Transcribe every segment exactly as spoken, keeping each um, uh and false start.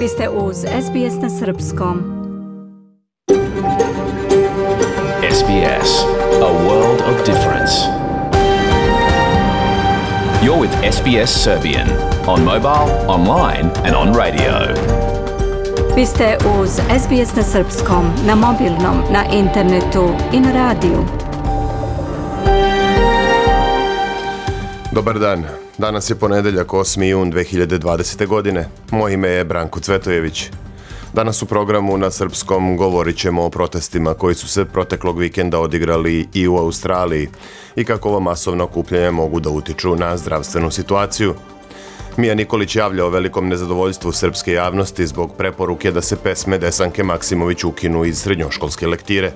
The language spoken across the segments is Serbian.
Vi ste uz S B S na srpskom. S B S, a world of difference. You're with S B S Serbian on mobile, online and on radio. Vi ste uz S B S na srpskom, na mobilnom, na internetu i na radiju. Dobar dan. Danas je ponedeljak osmi jun dve hiljade dvadesete. godine. Moje ime je Branko Cvetojević. Danas u programu na srpskom govorit ćemo o protestima koji su se proteklog vikenda odigrali i u Australiji i kako ova masovna okupljanja mogu da utiču na zdravstvenu situaciju. Mija Nikolić javlja o velikom nezadovoljstvu srpske javnosti zbog preporuke da se pesme Desanke Maksimović ukinu iz srednjoškolske lektire.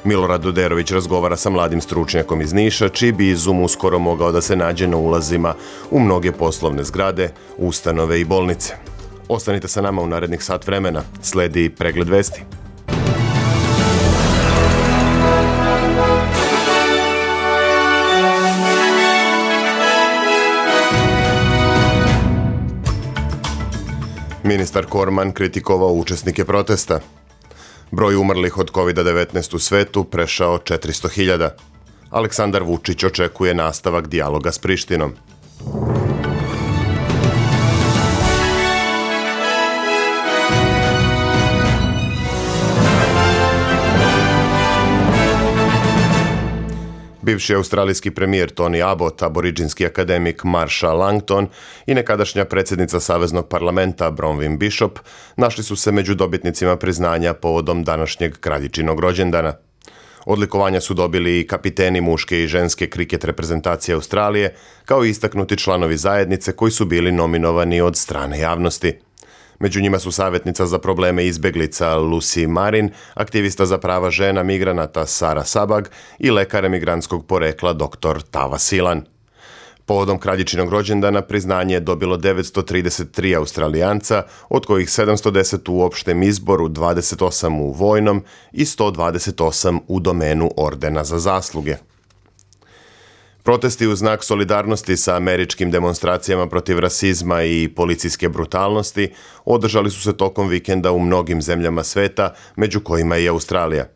Milorad Doderović razgovara sa mladim stručnjakom iz Niša, čiji bi izum uskoro mogao da se nađe na ulazima u mnoge poslovne zgrade, ustanove i bolnice. Ostanite sa nama u narednih sat vremena. Sledi pregled vesti. Ministar Korman kritikovao učesnike protesta. Broj umrlih od kovid devetnaest u svetu prešao četiristo hiljada. Aleksandar Vučić očekuje nastavak dijaloga s Prištinom. Bivši australijski premijer Tony Abbott, aboridžinski akademik Marsha Langton i nekadašnja predsjednica Saveznog parlamenta Bronwyn Bishop našli su se među dobitnicima priznanja povodom današnjeg kraljičinog rođendana. Odlikovanja su dobili i kapiteni muške i ženske kriket reprezentacije Australije, kao i istaknuti članovi zajednice koji su bili nominovani od strane javnosti. Među njima su savjetnica za probleme izbjeglica Lucy Marin, aktivista za prava žena migranata Sara Sabag i lekar emigrantskog porekla doktor Tava Silan. Povodom kraljičinog rođendana priznanje je dobilo devetsto trideset tri Australijanca, od kojih sedamsto deset u opštem izboru, dvadeset osam u vojnom i sto dvadeset osam u domenu ordena za zasluge. Protesti u znak solidarnosti sa američkim demonstracijama protiv rasizma i policijske brutalnosti održali su se tokom vikenda u mnogim zemljama sveta, među kojima i Australija.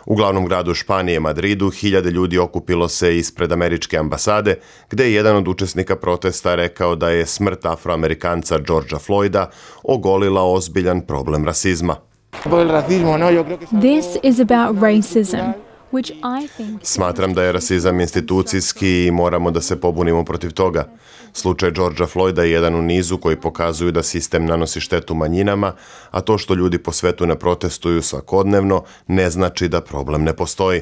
U glavnom gradu Španije, Madridu, hiljade ljudi okupilo se ispred američke ambasade, gde je jedan od učesnika protesta rekao da je smrt Afroamerikanca Georgea Floyda ogolila ozbiljan problem rasizma. This is about racism. Smatram da je rasizam institucijski i moramo da se pobunimo protiv toga. Slučaj Georgea Floyda je jedan u nizu koji pokazuju da sistem nanosi štetu manjinama, a to što ljudi po svetu ne protestuju svakodnevno ne znači da problem ne postoji.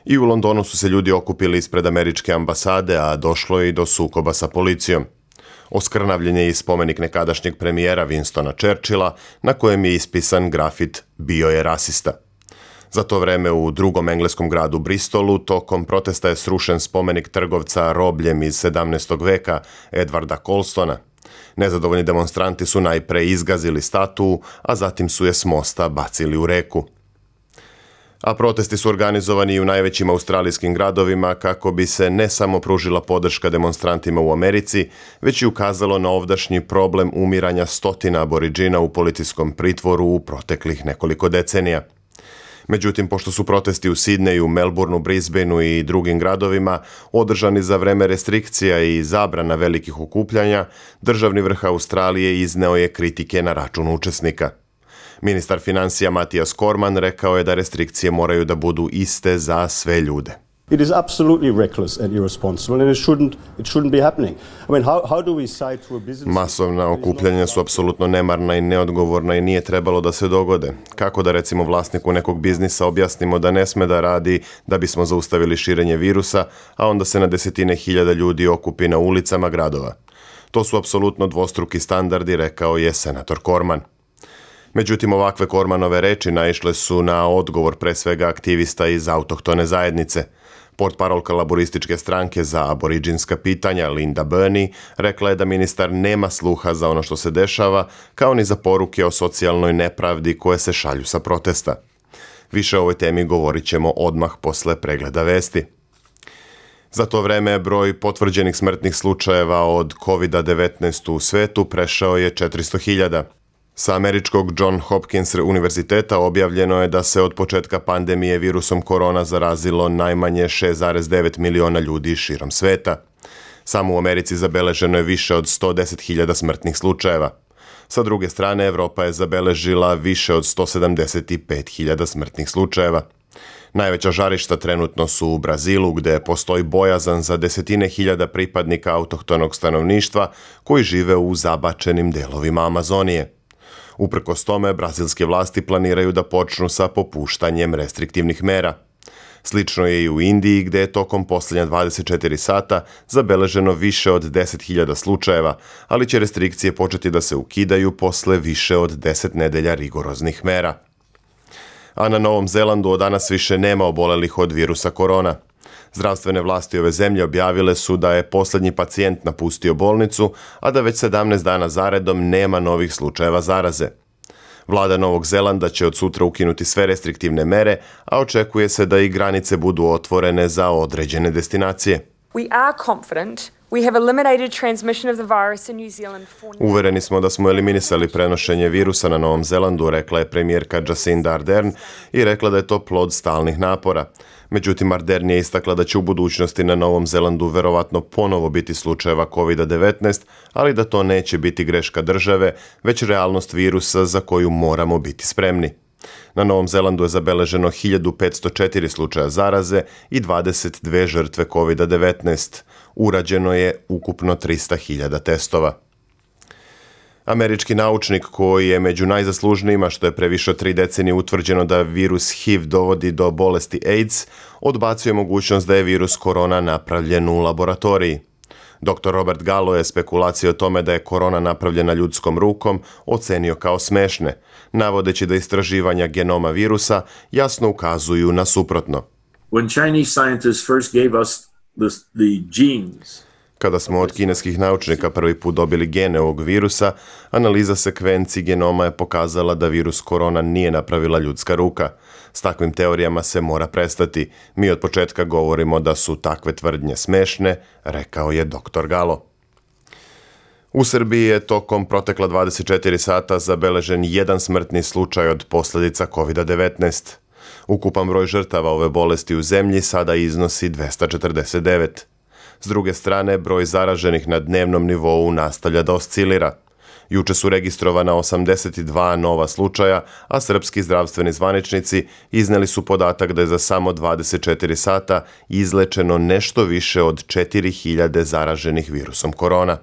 I u Londonu su se ljudi okupili ispred američke ambasade, a došlo je i do sukoba sa policijom. Oskrnavljen je i spomenik nekadašnjeg premijera Winstona Churchilla, na kojem je ispisan grafit "Bio je rasista". Za to vreme u drugom engleskom gradu Bristolu tokom protesta je srušen spomenik trgovca robljem iz sedamnaestog veka Edwarda Colstona. Nezadovoljni demonstranti su najpre izgazili statuu, a zatim su je s mosta bacili u reku. A protesti su organizovani i u najvećim australijskim gradovima kako bi se ne samo pružila podrška demonstrantima u Americi, već i ukazalo na ovdašnji problem umiranja stotina aboridžina u policijskom pritvoru u proteklih nekoliko decenija. Međutim, pošto su protesti u Sidneju, Melbourneu, Brisbaneu i drugim gradovima održani za vreme restrikcija i zabrana velikih okupljanja, državni vrh Australije izneo je kritike na račun učesnika. Ministar financija Matijas Korman rekao je da restrikcije moraju da budu iste za sve ljude. It is absolutely reckless and irresponsible and it shouldn't it shouldn't be happening. I mean how how do we say to a business Masovna okupljanja su apsolutno nemarna i neodgovorna i nije trebalo da se dogode. Kako da recimo vlasniku nekog biznisa objasnimo da ne sme da radi da bismo zaustavili širenje virusa, a onda se na desetine hiljada ljudi okupi na ulicama gradova. To su apsolutno dvostruki standardi, rekao je senator Korman. Međutim, ovakve Kormanove reči naišle su na odgovor pre svega aktivista iz autohtone zajednice. Portparolka laborističke stranke za aboridžinska pitanja Linda Burney rekla je da ministar nema sluha za ono što se dešava, kao ni za poruke o socijalnoj nepravdi koje se šalju sa protesta. Više o ovoj temi govorit ćemo odmah posle pregleda vesti. Za to vreme broj potvrđenih smrtnih slučajeva od kovid devetnaest u svetu prešao je četiristo hiljada. Sa američkog John Hopkins univerziteta objavljeno je da se od početka pandemije virusom korona zarazilo najmanje šest zarez devet miliona ljudi širom sveta. Samo u Americi zabeleženo je više od sto deset hiljada smrtnih slučajeva. Sa druge strane, Evropa je zabeležila više od sto sedamdeset pet hiljada smrtnih slučajeva. Najveća žarišta trenutno su u Brazilu, gde postoji bojazan za desetine hiljada pripadnika autohtonog stanovništva koji žive u zabačenim delovima Amazonije. Uprkos tome, brazilske vlasti planiraju da počnu sa popuštanjem restriktivnih mera. Slično je i u Indiji, gde je tokom posljednja dvadeset četiri sata zabeleženo više od deset hiljada slučajeva, ali će restrikcije početi da se ukidaju posle više od deset nedelja rigoroznih mera. A na Novom Zelandu od danas više nema obolelih od virusa korona. Zdravstvene vlasti ove zemlje objavile su da je posljednji pacijent napustio bolnicu, a da već sedamnaest dana zaredom nema novih slučajeva zaraze. Vlada Novog Zelanda će od sutra ukinuti sve restriktivne mere, a očekuje se da i granice budu otvorene za određene destinacije. We are confident we have eliminated transmission of the virus in New Zealand for now. Uvereni smo da smo eliminisali prenošenje virusa na Novom Zelandu, rekla je premijerka Jacinda Ardern i rekla da je to plod stalnih napora. Međutim, Ardern je istakla da će u budućnosti na Novom Zelandu verovatno ponovo biti slučajeva kovid devetnaest, ali da to neće biti greška države, već realnost virusa za koju moramo biti spremni. Na Novom Zelandu je zabeleženo hiljadu petsto četiri slučaja zaraze i dvadeset dve žrtve kovid devetnaest. Urađeno je ukupno trista hiljada testova. Američki naučnik koji je među najzaslužnijima što je pre više od tri decenije utvrđeno da virus H I V dovodi do bolesti AIDS, odbacio je mogućnost da je virus korona napravljen u laboratoriji. doktor Robert Gallo je spekulacije o tome da je korona napravljena ljudskom rukom ocenio kao smešne, navodeći da istraživanja genoma virusa jasno ukazuju na suprotno. When Chinese scientists first gave us the, the genes, Kada smo od kineskih naučnika prvi put dobili gene ovog virusa, analiza sekvenci genoma je pokazala da virus korona nije napravila ljudska ruka. S takvim teorijama se mora prestati. Mi od početka govorimo da su takve tvrdnje smešne, rekao je doktor Gallo. U Srbiji je tokom protekla dvadeset četiri sata zabeležen jedan smrtni slučaj od posljedica kovid devetnaest. Ukupan broj žrtava ove bolesti u zemlji sada iznosi dvesta četrdeset devet. S druge strane, broj zaraženih na dnevnom nivou nastavlja da oscilira. Juče su registrovana osamdeset dva nova slučaja, a srpski zdravstveni zvaničnici izneli su podatak da je za samo dvadeset četiri sata izlečeno nešto više od četiri hiljade zaraženih virusom korona.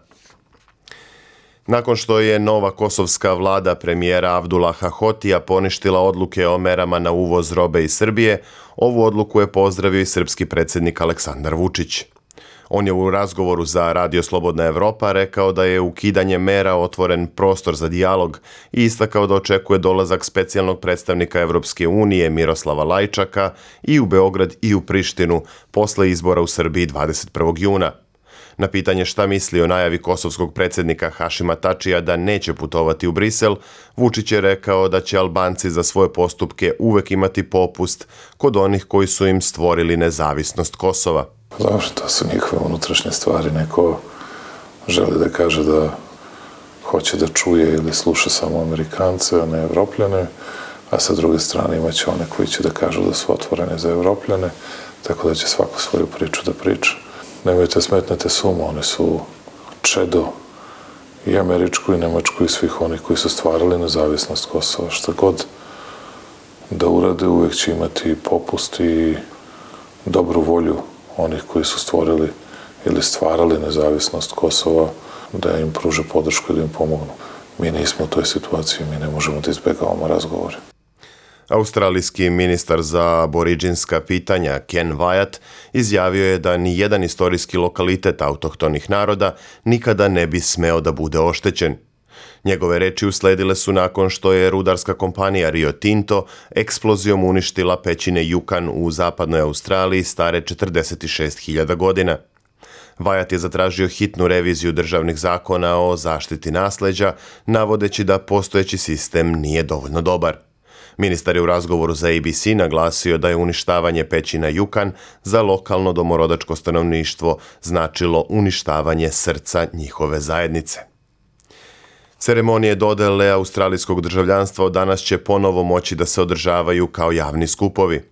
Nakon što je nova kosovska vlada premijera Abdullaha Hotija poništila odluke o merama na uvoz robe iz Srbije, ovu odluku je pozdravio i srpski predsjednik Aleksandar Vučić. On je u razgovoru za Radio Slobodna Evropa rekao da je ukidanje mera otvoren prostor za dijalog i istakao da očekuje dolazak specijalnog predstavnika Evropske unije Miroslava Lajčaka i u Beograd i u Prištinu posle izbora u Srbiji dvadeset prvog juna. Na pitanje šta misli o najavi kosovskog predsjednika Hašima Tačija da neće putovati u Brisel, Vučić je rekao da će Albanci za svoje postupke uvek imati popust kod onih koji su im stvorili nezavisnost Kosova. Dobro, to su njihove unutrašnje stvari. Neko želi da kaže da hoće da čuje ili sluša samo Amerikance, a ne Evropljane, a sa druge strane imaće one koji će da kažu da su otvorene za Evropljane, tako da će svako svoju priču da priča. Nemojte smetnete sumu, oni su čedo i američku i nemačku i svih onih koji su stvarali nezavisnost Kosova. Šta god da urade, uvek će imati popust i dobru volju onih koji su stvorili ili stvarali nezavisnost Kosova, da im pruže podršku i da im pomognu. Mi nismo u toj situaciji, mi ne možemo da izbegavamo razgovore. Australijski ministar za aboriđinska pitanja Ken Wyatt izjavio je da ni jedan istorijski lokalitet autohtonih naroda nikada ne bi smeo da bude oštećen. Njegove reči usledile su nakon što je rudarska kompanija Rio Tinto eksplozijom uništila pećine Jukan u zapadnoj Australiji stare četrdeset šest hiljada godina. Wyatt je zatražio hitnu reviziju državnih zakona o zaštiti nasleđa, navodeći da postojeći sistem nije dovoljno dobar. Ministar je u razgovoru za A B C naglasio da je uništavanje pećina Jukan za lokalno domorodačko stanovništvo značilo uništavanje srca njihove zajednice. Ceremonije dodele australijskog državljanstva od danas će ponovo moći da se održavaju kao javni skupovi.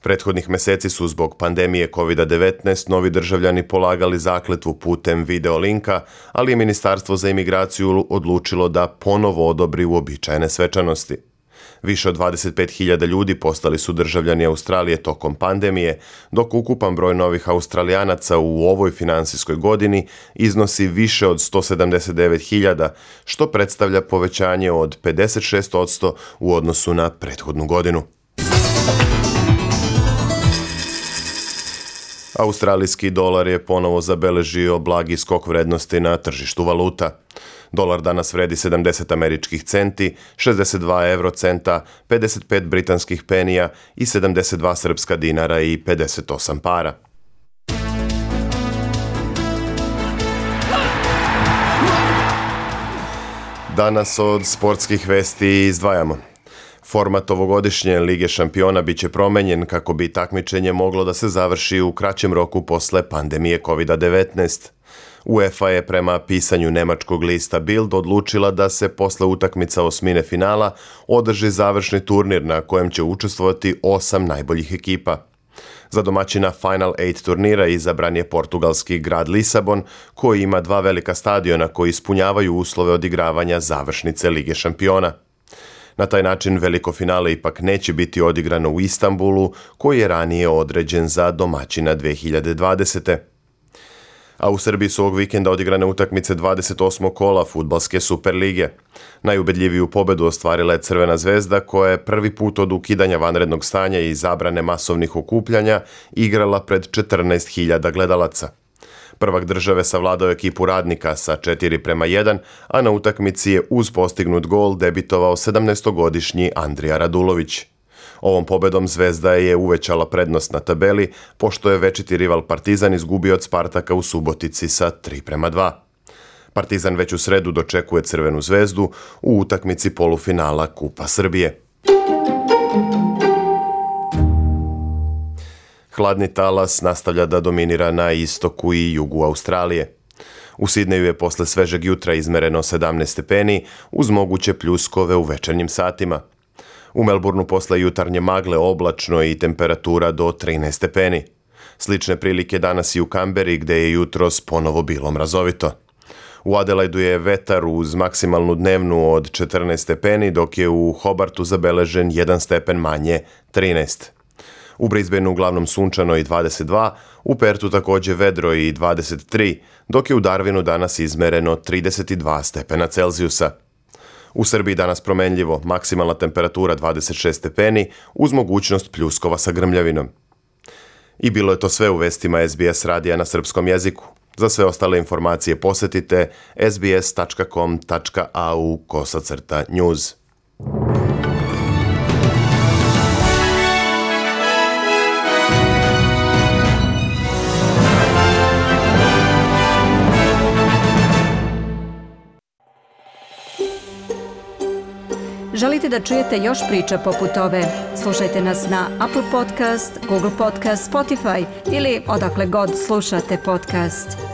Prethodnih meseci su zbog pandemije kovid devetnaest novi državljani polagali zakletvu putem video linka, ali je Ministarstvo za imigraciju odlučilo da ponovo odobri uobičajene svečanosti. Više od dvadeset pet hiljada ljudi postali su državljani Australije tokom pandemije, dok ukupan broj novih Australijanaca u ovoj finansijskoj godini iznosi više od sto sedamdeset devet hiljada, što predstavlja povećanje od pedeset šest posto u odnosu na prethodnu godinu. Australijski dolar je ponovo zabeležio blagi skok vrednosti na tržištu valuta. Dolar danas vredi sedamdeset američkih centi, šezdeset dva evrocenta, pedeset pet britanskih penija i sedamdeset dva srpska dinara i pedeset osam para. Danas od sportskih vesti izdvajamo. Format ovogodišnje Lige šampiona biće promenjen kako bi takmičenje moglo da se završi u kraćem roku posle pandemije kovid devetnaest. UEFA je prema pisanju nemačkog lista Bild odlučila da se posle utakmica osmine finala održi završni turnir na kojem će učestvovati osam najboljih ekipa. Za domaćina Final osam turnira izabran je portugalski grad Lisabon, koji ima dva velika stadiona koji ispunjavaju uslove odigravanja završnice Lige šampiona. Na taj način veliko finale ipak neće biti odigrano u Istanbulu, koji je ranije određen za domaćina dve hiljade dvadesete. A u Srbiji su ovog vikenda odigrane utakmice dvadeset osmog kola fudbalske Superlige. Najubedljiviju pobedu ostvarila je Crvena zvezda, koja je prvi put od ukidanja vanrednog stanja i zabrane masovnih okupljanja igrala pred četrnaest hiljada gledalaca. Prvak države savladao ekipu Radnika sa četiri prema jedan, a na utakmici je uz postignut gol debitovao sedamnaestogodišnji Andrija Radulović. Ovom pobedom Zvezda je uvećala prednost na tabeli, pošto je večiti rival Partizan izgubio od Spartaka u Subotici sa tri prema dva. Partizan već u sredu dočekuje Crvenu zvezdu u utakmici polufinala Kupa Srbije. Hladni talas nastavlja da dominira na istoku i jugu Australije. U Sidneju je posle svežeg jutra izmereno sedamnaest stepeni uz moguće pljuskove u večernjim satima. U Melbourneu posle jutarnje magle oblačno i temperatura do trinaest stepeni. Slične prilike danas i u Kamberi, gde je jutros ponovo bilo mrazovito. U Adelaidu je vetar uz maksimalnu dnevnu od četrnaest stepeni, dok je u Hobartu zabeležen jedan stepen manje, trinaest. U Brisbaneu uglavnom sunčano i dvadeset dva, u Pertu takođe vedro i dvadeset tri, dok je u Darwinu danas izmereno trideset dva stepena Celzijusa. U Srbiji danas promenljivo, maksimalna temperatura dvadeset šest stepeni uz mogućnost pljuskova sa grmljavinom. I bilo je to sve u vestima S B S radija na srpskom jeziku. Za sve ostale informacije posetite sbs tačka com tačka a u kosacrta news. Želite da čujete još priča poput ove? Slušajte nas na Apple Podcast, Google Podcast, Spotify ili odakle god slušate podcast.